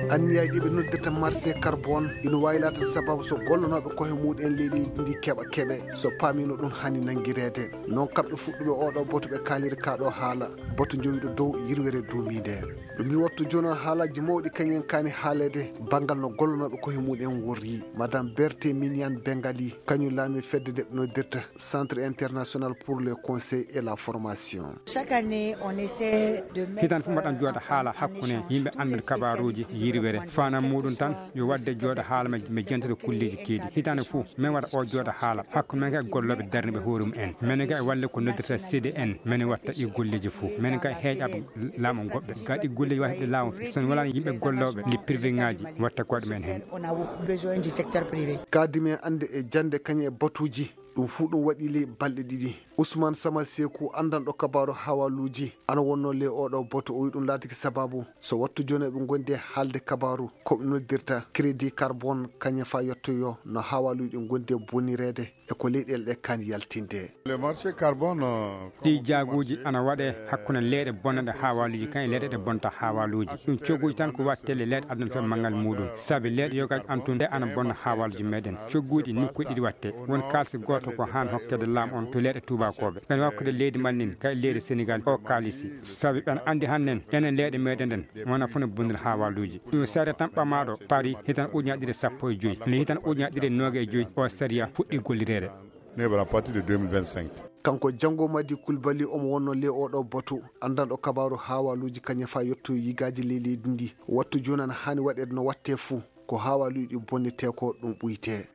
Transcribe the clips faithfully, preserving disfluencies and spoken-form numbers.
Anniyaaji ɗi ɓe noddirta marché carbone ina waawi laatde sababu so gollonooɓe koye muɗen leydi ndi keɓa keɓe, so paamino ɗum hani nanngireede. Noon kamɓe fuɗɗuɓe oɗo boto ɓe kaaliri kaɗo haala, boto jowiɗo dow yirwere duumiinde. Ɗum mi wattu jono haalaji mawɗi kañen kaani haaleede banngal no gollonooɓe koye muɗen worri. Madame Berthe Minian Bengali, kañum laami fedde nde ɓe noddirta Centre International pour le Conseil et la Formation. Chaque année, on essaie de mettre, hitan fof mbaɗan jooɗa haala hakkunde yimɓe anndude kabaruuji yirwere. Faanam muɗum tan yo waɗde jooɗa haala ma, mi jentata kulleeji keedi. Hitande fof, min waɗa o jooɗa haala hakkunde men e gollooɓe darniiɓe hoore mum en. Menen kay walle ko noddirta C D N, menen watta ɗi golleeji fof. Menen kay heeƴaɓe laamu goɗɓe. Ga ɗi golleeji waɗa heɓde laamu fof. So wonaa yimɓe gollooɓe ɗi privé ŋaaji, watta ko ɗum en heen. On a besoin du secteur privé. Kaadi men annde e jannde kañum e batuuji. Ɗum fuu ɗum waɗi ley balɗe ɗiɗi. Ousmane Sama Seeku, anndanɗo kabaaru hawaluuji, ana wonnoo ley oɗo boto, o wi ɗum laatiki sababu so wattu jooni eɓe ngondi e haalde kabaaru ko ɓe noddirta crédit carbone, kañum fa yettoyo no hawaluuji ɗi ngondi e bonireede e ko leyɗeele ɗe kaani yaltinde. Le marché carbone, euh, ɗi jaaguuji ana waɗe hakkunde leyɗe bonnanɗe hawaluuji kan e leyɗe ɗe bonta hawaluuji. Ɗum cogguuji tan ko watte le leyɗe aduna fe manngal muɗum. Sabi leyɗe yogaaji antunde ana bonna hawaluuji meɗen. Cogguuji nokkuuji ɗiɗi watte. Won kaalisi gooto ko haan hokkede laamu on to leyɗe tuubakooɓe. Ɓen hokkude leydi Mali nin kay leydi Senegal o kaalisi. Sabi ɓen anndi hannden enen leyɗe meɗen ɗen wona fof ne bonnude hawaluuji. Ɗum sariya tan ɓamaaɗo Paris hitan ujunaaji ɗiɗi e sappo e joy. Nde hitan ujunaaji ɗiɗi e noogay e joy o sariya fuɗɗi gollireede. Neɓra à partir de deux mille vingt-cinq. Kanko Janngo Madi Kulbali, omo wonnoo ley oɗo batu, anndanɗo kabaaru hawaluuji kañum fa yetto yigaaji ley leydi ndi. Wattu jooni ana haani waɗeede no watte fuu. Ko hawaluuji ɗi bonnetee ko ɗum ɓuytee.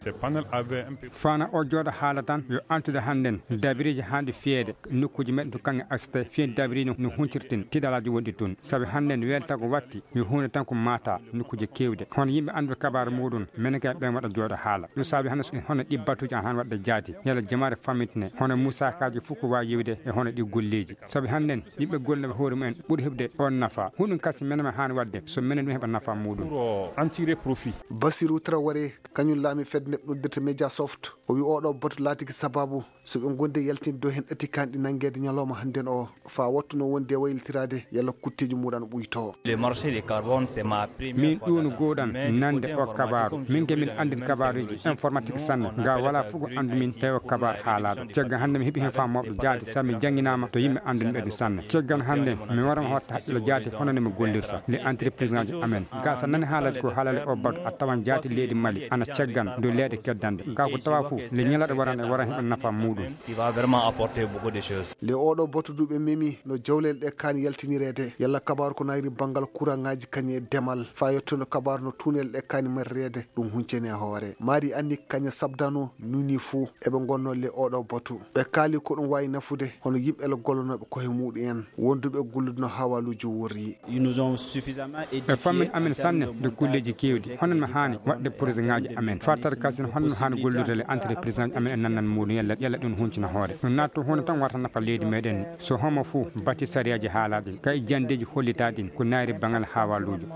Faana o jooɗa haala tan yo antude hannden dabireeji haanɗi fiyeede nokkuuji meɗen to kaŋŋe aksite fiyen dabireeji no, no huncirtin tiɗalaaji wonɗi toon. Sabi hannden weelta ko watti yo huunde tan ko maata nokkuuje keewɗe. Hono yimɓe annduɓe kabaaru muɗum, menen kay ɓen waɗa jooɗa haala. Ɗum saabi hannde so hono ɗi batuuji an han waɗde jaati, yalla jamaare famintine, hono musaakaaji fof ko waawi yewde e hono ɗi golleeji. Sabi hannden yimɓe gollooɓe hoore mumen ɓuri heɓde on nafa. Huɗum kasi menen ma haani waɗde so menen ɗum heɓa nafa muɗum. Pour, euh, en tirer profit. Basirou Traoré, kañum laami fedde nde noddirta Mediasoft. O wi oɗo batu laatiki sababu so ɓe ngondi e yaltinde dow heen ɗati kanɗi nanngeede ñalawma hannden o, faa wattu no wondi e waylitiraade yalla kutteeji muɗum ana ɓuytoo. Le marché de carbone, c'est ma première fois. Min ɗum gowɗan nande o kabaaru. Min ke min anndin kabaaruuji informatique sanne. Nga wala fof ko anndu min tawi o kabaaru haalaaɗo. Caggal hannde mi heɓi heen faamu mawɗo jaati sabi mi jannginaama to yimɓe anndun ɓe ɗum sanne. Caggal hannde mi warama hotta haqqille jaati hono nde mi gollirta le entreprise ŋaaji amen. Ga sa nani haalaji ko haalale o batu a tawan jaati leydi Mali ana caggan dow leyɗe keddanɗe. Ga ko tawa fof le ñalaɗo waran e waran heɓa nafa muɗum. Qui va vraiment apporter beaucoup de choses. Le oɗo batu du ɓe memi no jawlel ɗe kaani yaltinireede. Yalla kabaaru ko nayri banngal kuraŋaaji kañum e demal. Faa yettuno kabaaru no tuunel ɗe kaani marireede. Ɗum huncene hoore. Mari anni kaña sabdano nuni fuu eɓe ngonnoo le oɗo batu. Ɓe kaali ko ɗum waawi nafude hono yimɓe le gollonooɓe koye muɗum en. Wonduɓe gollude no hawaluuji worri. Ils nous ont suffisamment édifié. Ɓe fammin amen sanne de golleeji keewɗi. Hono no haani waɗde projet ŋaaji amen. Fartata kasin hono no haani gollirde le entreprise ŋaaji amen e nannan muɗum yalla, yalla ɗum huncina hoore. No naatto huunde tan warta nafa leydi meɗen. So homo fuu bati sariyaaji haalaaɗi, kay janndeeji hollitaaɗi ko naayri baŋal hawaluujo.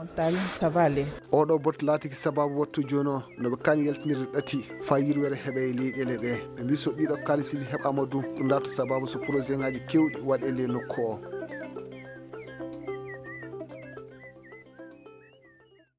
Oɗo batu laatiki sababu wattu jooni o no ɓe kaani yaltinirde ɗati faa yirwere heɓa e leyɗeele ɗe. Ɓe mbi so ɗiɗo kaalisiiji heɓaama du, ɗum laatu sababu so projet ŋaaji keewɗi waɗe le nokku o.